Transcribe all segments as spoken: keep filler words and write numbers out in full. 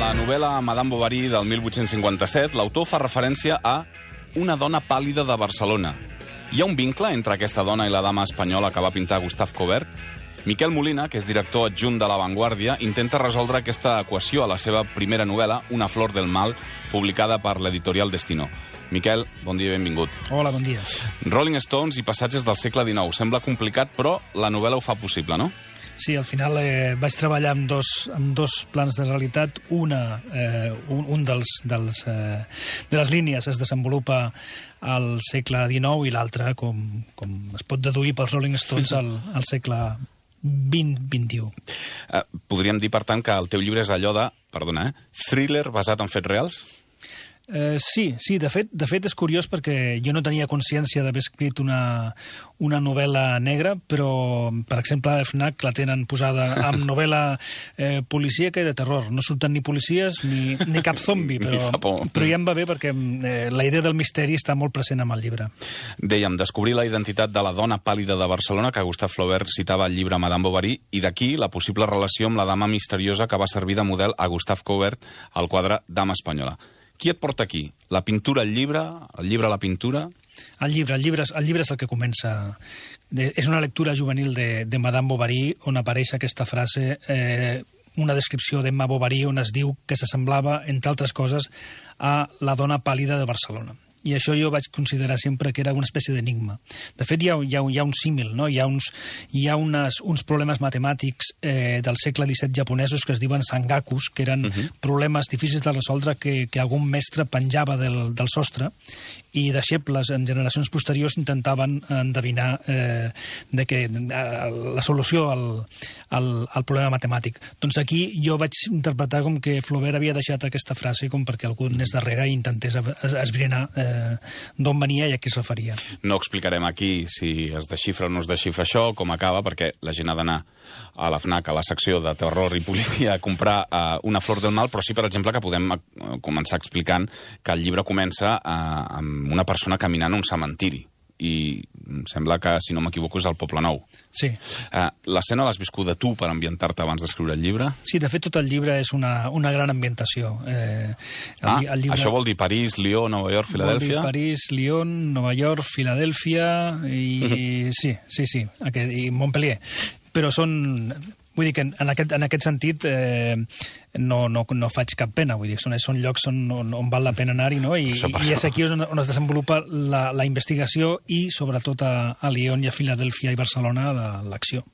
la novel·la Madame Bovary del mil vuit-cents cinquanta-set, l'autor fa referència a una dona pàl·lida de Barcelona. Hi ha un vincle entre aquesta dona i la dama espanyola que va pintar Gustave Courbet? Miquel Molina, que és director adjunt de La Vanguardia, intenta resoldre aquesta equació a la seva primera novel·la, Una flor del mal, publicada per l'editorial Destino. Miquel, bon dia i benvingut. Hola, bon dia. Rolling Stones i passatges del segle dinou. Sembla complicat, però la novel·la ho fa possible, no? Sí, al final eh, vaig treballar amb dos, amb dos plans de realitat. Una, eh, un, un dels, dels, eh, de les línies es desenvolupa al segle dinou i l'altre, com, com es pot deduir pels Rolling Stones, al, al segle vint vint-i-u. Eh, podríem dir, per tant, que el teu llibre és allò de, perdona, eh, thriller basat en fets reals? Eh, sí, sí, de fet, de fet és curiós perquè jo no tenia consciència d'haver escrit una, una novel·la negra, però, per exemple, a FNAC la tenen posada amb novel·la eh, policíaca i de terror. No surten ni policies ni, ni cap zombi, però, però ja em va bé perquè eh, la idea del misteri està molt present amb el llibre. Dèiem, descobrir la identitat de la dona pàl·lida de Barcelona que Gustave Flaubert citava al llibre Madame Bovary, i d'aquí la possible relació amb la dama misteriosa que va servir de model a Gustave Courbet al quadre Dama espanyola. Qui et porta aquí? La pintura al llibre? El llibre a la pintura? El llibre, el llibre, el llibre és el que comença. De, és una lectura juvenil de, de Madame Bovary on apareix aquesta frase, eh, una descripció d'Emma Bovary on es diu que s'assemblava, entre altres coses, a la dona pàl·lida de Barcelona. I això jo vaig considerar sempre que era una espècie d'enigma. De fet, hi ha, hi ha, hi ha un símil, no? Hi ha uns, hi ha unes, uns problemes matemàtics eh, del segle disset japonesos que es diuen sangakus, que eren uh -huh. problemes difícils de resoldre que, que algun mestre penjava del, del sostre, i deixebles en generacions posteriors intentaven endevinar eh, de que, eh, la solució al, al, al problema matemàtic. Doncs aquí jo vaig interpretar com que Flaubert havia deixat aquesta frase com perquè algú anés darrere i intentés esbrinar eh, d'on venia i a qui es referia. No explicarem aquí si es desxifra o no es desxifra això, com acaba, perquè la gent ha d'anar a la FNAC, a la secció de terror i policia, a comprar uh, Una flor del mal, però sí, per exemple, que podem uh, començar explicant que el llibre comença uh, amb una persona caminant a un cementiri, i em sembla que, si no m'equivoco, és al Poble Nou. Sí. Uh, L'escena l'has viscuda tu per ambientar-te abans d'escriure el llibre? Sí, de fet, tot el llibre és una, una gran ambientació. Eh, el, ah, el llibre... això vol dir París, Lió, Nova York, Filadèlfia? Vol dir París, Lyon, Nova York, Filadèlfia i... Uh-huh. Sí, sí, sí, aquest, i Montpellier. Però són... Vull dir que en aquest, en aquest sentit eh, no, no, no faig cap pena, vull dir, són, són llocs on, on, on val la pena anar-hi, no? I, i és aquí on, on es desenvolupa la, la investigació i, sobretot, a, a Lyon i a Filadèlfia i Barcelona, l'acció.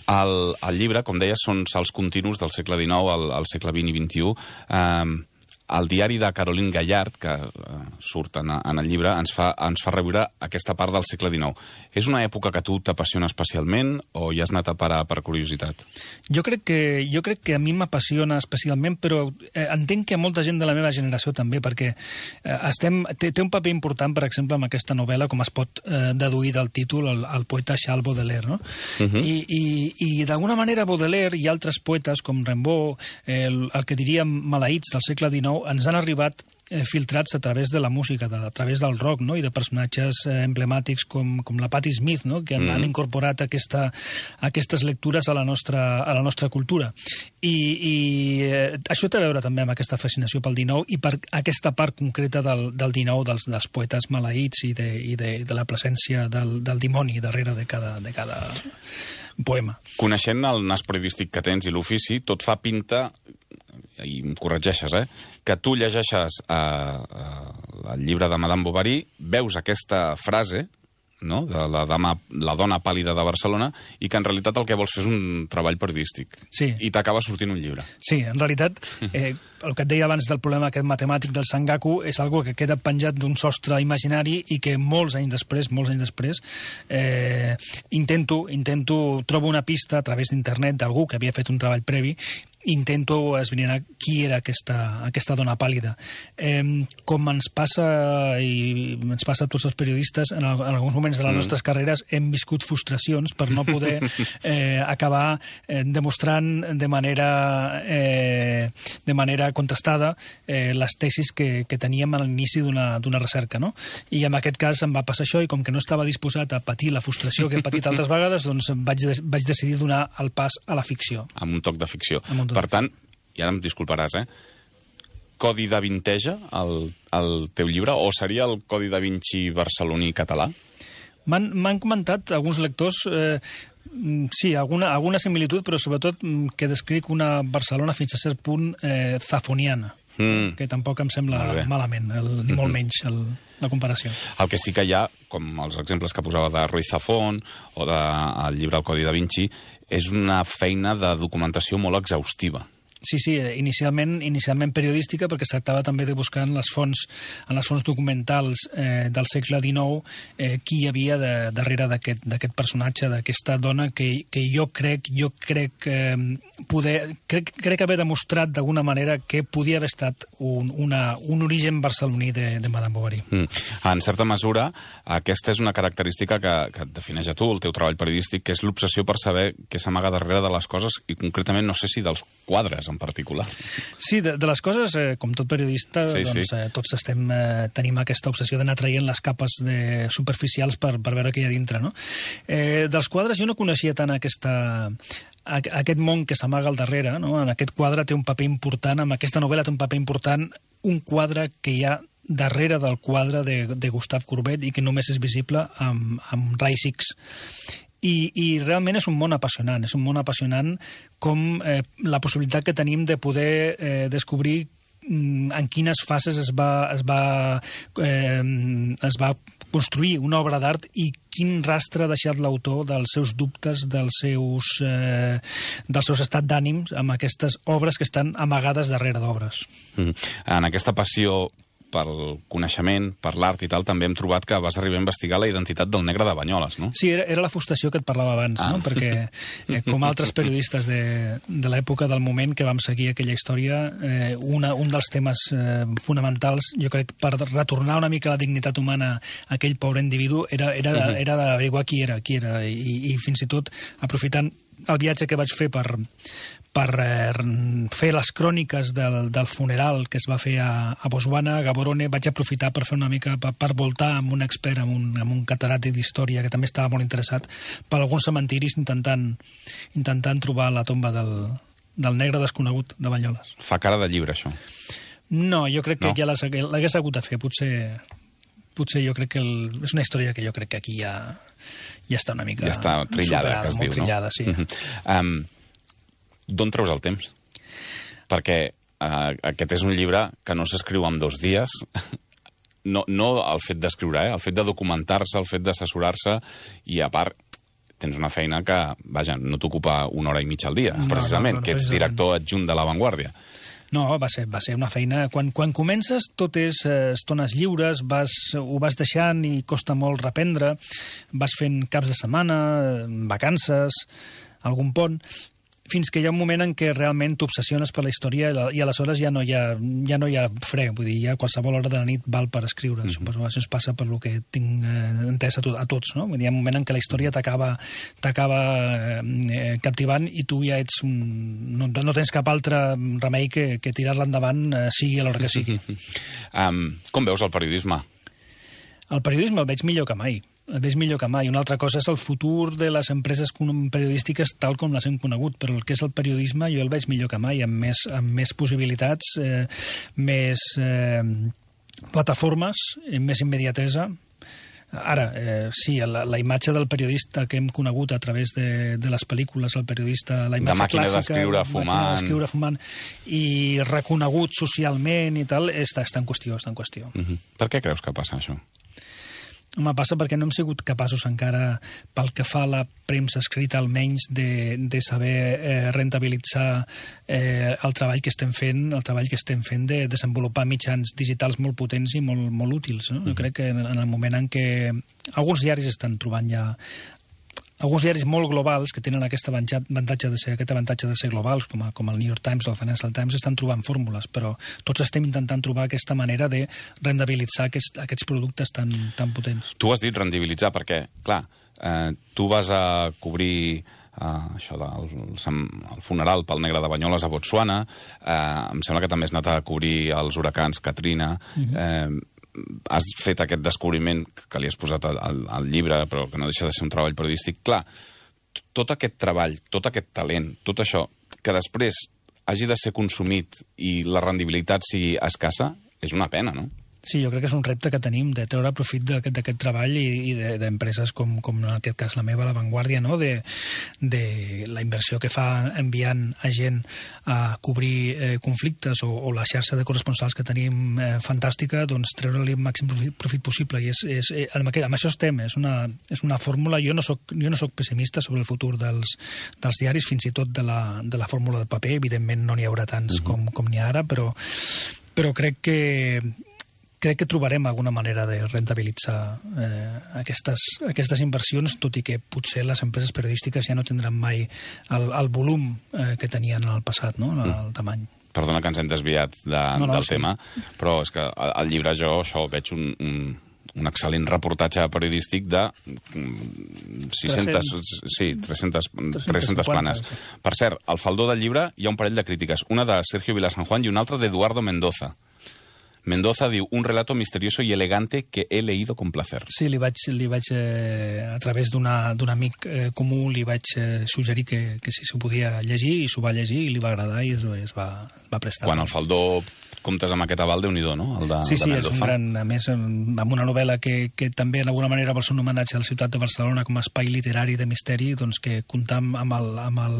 El, el llibre, com deies, són salts continus del segle dinou al, al segle vint i vint-i-u. Eh, el diari de Caroline Gallard, que uh, surt en, en el llibre, ens fa, ens fa reviure aquesta part del segle dinou. És una època que a tu t'apassiona especialment o hi has anat a parar per curiositat? Jo crec que, jo crec que a mi m'apassiona especialment, però eh, entenc que a molta gent de la meva generació també, perquè eh, estem, té, té un paper important, per exemple, amb aquesta novel·la, com es pot eh, deduir del títol, el, el poeta Charles Baudelaire, no? Uh-huh. I i, i d'alguna manera Baudelaire i altres poetes, com Rimbaud, eh, el, el que diríem maleïts del segle dinou, ens han arribat eh, filtrats a través de la música, de, a través del rock, no? I de personatges eh, emblemàtics com, com la Patti Smith, no? Que han, mm. han incorporat aquesta, aquestes lectures a la nostra, a la nostra cultura. I, i eh, això té a veure també amb aquesta fascinació pel dinou i per aquesta part concreta del, del dinou, dels, dels poetes maleïts i de, i de, de la presència del, del dimoni darrere de cada, de cada poema. Coneixent el nas periodístic que tens i l'ofici, tot fa pinta, i em corregeixes, eh, que tu llegeixes eh, eh, el llibre de Madame Bovary, veus aquesta frase, no?, de la, dama, la dona pàl·lida de Barcelona, i que en realitat el que vols fer és un treball periodístic. Sí. I t'acaba sortint un llibre. Sí, en realitat, eh, el que et deia abans del problema aquest matemàtic del sangaku és algo que queda penjat d'un sostre imaginari i que molts anys després, molts anys després, eh, intento, intento, trobo una pista a través d'internet d'algú que havia fet un treball previ, intento esbrinar qui era aquesta, aquesta dona pàl·lida. Eh, com ens passa i ens passa a tots els periodistes, en, el, en alguns moments de les mm. nostres carreres hem viscut frustracions per no poder eh, acabar eh, demostrant de manera eh, de manera contrastada eh, les tesis que, que teníem a l'inici d'una recerca, no? I en aquest cas em va passar això, i com que no estava disposat a patir la frustració que he patit altres vegades, doncs vaig, vaig decidir donar el pas a la ficció. Amb un toc de ficció. Per tant, i ara em disculparàs, eh? Codi da Vinteja, el, el teu llibre, o seria el Codi da Vinci barceloní català? M'han comentat alguns lectors, eh, sí, alguna, alguna similitud, però sobretot que descric una Barcelona fins a cert punt eh, zafoniana, mm. que tampoc em sembla malament, el, ni molt menys el, la comparació. El que sí que hi ha, com els exemples que posava de Ruiz Zafón o del llibre El Codi da Vinci, és una feina de documentació molt exhaustiva. Sí, sí, inicialment, inicialment periodística, perquè es tractava també de buscar en les fonts, en les fonts documentals eh, del segle dinou eh, qui hi havia de, darrere d'aquest personatge, d'aquesta dona que, que jo crec, jo crec, eh, poder, crec, crec haver demostrat d'alguna manera que podia haver estat un, una, un origen barceloní de, de Madame Bovary. Mm. En certa mesura, aquesta és una característica que, que et defineix a tu, el teu treball periodístic, que és l'obsessió per saber què s'amaga darrere de les coses i concretament, no sé si dels quadres en particular. Sí, de, de les coses, eh, com tot periodista, sí, doncs, sí. Eh, tots estem, eh, tenim aquesta obsessió d'anar traient les capes de, superficials per, per veure què hi ha dintre, no? Eh, dels quadres jo no coneixia tant aquesta, aquest món que s'amaga al darrere, no? En aquest quadre té un paper important, en aquesta novel·la té un paper important, un quadre que hi ha darrere del quadre de, de Gustave Courbet i que només és visible amb, amb Rais X. I, i realment és un món apassionant, és un món apassionant com eh, la possibilitat que tenim de poder eh, descobrir en quines fases es va, es va, eh, es va construir una obra d'art i quin rastre ha deixat l'autor dels seus dubtes, dels seus, eh, dels seus estats d'ànims amb aquestes obres que estan amagades darrere d'obres. Mm. En aquesta passió pel coneixement, per l'art i tal, també hem trobat que vas arribar a investigar la identitat del negre de Banyoles, no? Sí, era, era la frustració que et parlava abans, ah. no? Perquè, eh, com altres periodistes de, de l'època del moment que vam seguir aquella història, eh, una, un dels temes eh, fonamentals, jo crec, per retornar una mica la dignitat humana a aquell pobre individu, era, era, uh-huh. era d'averiguar qui era, qui era, i, i fins i tot, aprofitant el viatge que vaig fer per, per eh, fer les cròniques del, del funeral que es va fer a, a Botswana, a Gaborone, vaig aprofitar per fer una mica, per, per voltar amb un expert, amb un, amb un catedràtic d'història que també estava molt interessat, per alguns cementiris intentant, intentant trobar la tomba del, del negre desconegut de Banyoles. Fa cara de llibre, això. No, jo crec que no? ja l'hagués hagut de fer. Potser, potser jo crec que el, és una història que jo crec que aquí ja, ja està una mica ja està trillada, superada, que es molt diu, trillada, no? Sí. Uh-huh. um, D'on treus el temps? Perquè uh, aquest és un llibre que no s'escriu en dos dies. No, no el fet d'escriure, eh? El fet de documentar-se, el fet d'assessorar-se, i a part tens una feina que, vaja, no t'ocupa una hora i mitja al dia, no, precisament, no, no, no, que ets director adjunt de La Vanguardia. No, va ser, va ser una feina... Quan, quan comences tot és eh, estones lliures, vas, ho vas deixant i costa molt reprendre, vas fent caps de setmana, vacances, algun pont, fins que hi ha un moment en què realment t'obsessiones per la història i aleshores ja no hi ha, ja no hi ha fre, vull dir, ja qualsevol hora de la nit val per escriure. Mm-hmm. Suposo que això es passa per lo que tinc eh, entès a, to a tots, no? Vull dir, hi ha un moment en què la història t'acaba t'acaba eh, captivant i tu ja ets un... No, no tens cap altre remei que, que tirar-la endavant, eh, sigui a l'hora que sigui. um, com veus el periodisme? El periodisme el veig millor que mai. El veig millor que mai. Una altra cosa és el futur de les empreses periodístiques tal com les hem conegut, però el que és el periodisme jo el veig millor que mai, amb més, amb més possibilitats, eh, més eh, plataformes, més immediatesa. Ara, eh, sí, la, la imatge del periodista que hem conegut a través de, de les pel·lícules, el periodista, la imatge de màquina clàssica... d'escriure fumant. d'escriure fumant i reconegut socialment i tal, està, està en qüestió, està en qüestió. Uh-huh. Per què creus que passa això? Home, passa perquè no hem sigut capaços encara, pel que fa a la premsa escrita almenys, de, de saber eh, rentabilitzar eh, el treball que estem fent, el treball que estem fent de desenvolupar mitjans digitals molt potents i molt, molt útils. No? Jo crec que en el moment en què alguns diaris estan trobant ja alguns diaris molt globals que tenen aquest avantatge de ser, aquest avantatge de ser globals, com, a, com el New York Times o el Financial Times, estan trobant fórmules, però tots estem intentant trobar aquesta manera de rendibilitzar aquest, aquests productes tan, tan potents. Tu has dit rendibilitzar perquè, clar, eh, tu vas a cobrir eh, això del el funeral pel negre de Banyoles a Botswana, eh, em sembla que també has anat a cobrir els huracans Katrina, uh-huh. eh, has fet aquest descobriment que li has posat al, al, al llibre, però que no deixa de ser un treball periodístic. Clar, tot aquest treball, tot aquest talent, tot això, que després hagi de ser consumit i la rendibilitat sigui escassa, és una pena, no? Sí, jo crec que és un repte que tenim de treure profit d'aquest treball i, i d'empreses com, com en aquest cas la meva, La Vanguardia, no? de, de la inversió que fa enviant a gent a cobrir eh, conflictes o, o la xarxa de corresponsals que tenim eh, fantàstica, doncs treure-li el màxim profit, profit possible. I és, és, eh, amb, aquest, amb això estem, és una, és una fórmula. Jo no soc, jo no soc pessimista sobre el futur dels, dels diaris, fins i tot de la, de la fórmula de paper. Evidentment no n'hi haurà tants uh-huh. com, com n'hi ha ara, però, però crec que crec que trobarem alguna manera de rentabilitzar eh, aquestes, aquestes inversions, tot i que potser les empreses periodístiques ja no tindran mai el, el volum eh, que tenien en el passat, no? el, el tamany. Perdona que ens hem desviat de, no, no, del sí. tema, però és que al llibre jo això veig un, un, un excel·lent reportatge periodístic de sis-centes, sí, tres-centes, tres-centes planes. Per cert, al faldó del llibre hi ha un parell de crítiques, una de Sergio Vilasanjuan i una altra d'Eduardo Mendoza. Mendoza diu, un relato misterioso y elegante que he leído con placer. Sí, li vaig, li vaig eh, a través d'un amic eh, comú, li vaig eh, suggerir que, que si s'ho podia llegir, i s'ho va llegir, i li va agradar, i es, es va, va prestar. Quan al faldó comptes amb aquest aval, Déu-n'hi-do, no? El de, sí, sí, de és un gran... A més, amb una novel·la que, que també, d'alguna manera, vol ser un homenatge a la ciutat de Barcelona com a espai literari de misteri, doncs que comptar amb el, amb el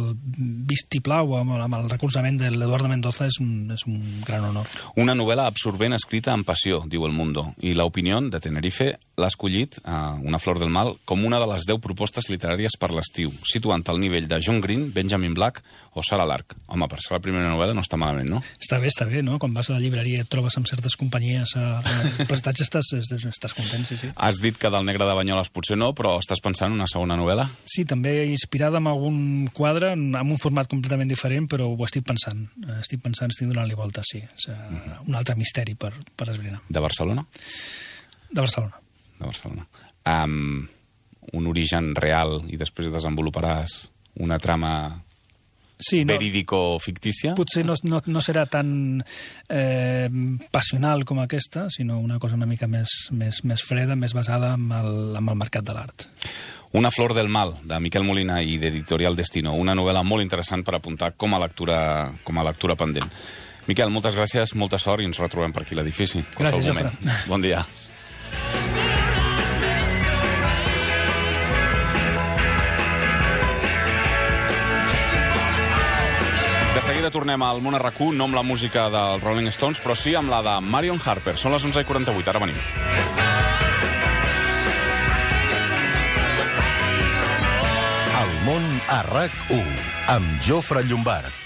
vistiplau, amb el, amb el recolzament de l'Eduardo Mendoza és un, és un gran honor. Una novel·la absorbent escrita amb passió, diu El Mundo, i l'Opinió de Tenerife l'ha escollit, uh, Una flor del mal, com una de les deu propostes literàries per l'estiu, situant al nivell de John Green, Benjamin Black o Sarah Lark. Home, per ser la primera novel·la no està malament, no? Està bé, està bé, no? Quan vas a la llibreria et trobes amb certes companyies a, a prestatge, estàs, estàs content, sí, sí. Has dit que del Negre de Banyoles potser no, però estàs pensant en una segona novel·la? Sí, també inspirada en algun quadre, amb un format completament diferent, però ho estic pensant. Estic pensant, estic donant-li volta, sí. És, uh, mm-hmm. Un altre misteri per, per esbrinar. De Barcelona? De Barcelona. De Barcelona. Um, un origen real i després desenvoluparàs una trama... Sí, no, verídico-fictícia? Potser no, no, no serà tan eh, passional com aquesta, sinó una cosa una mica més, més, més freda, més basada en el, en el mercat de l'art. Una flor del mal, de Miquel Molina i d'Editorial Destino. Una novel·la molt interessant per apuntar com a lectura, com a lectura pendent. Miquel, moltes gràcies, molta sort i ens retrobem per aquí a l'edifici. Gràcies, Jofre. Bon dia. De seguida tornem al Món a RAC u, no amb la música dels Rolling Stones, però sí amb la de Marion Harper. Són les onze i quaranta-vuit, ara venim. El Món a RAC u, amb Jofre Llombart.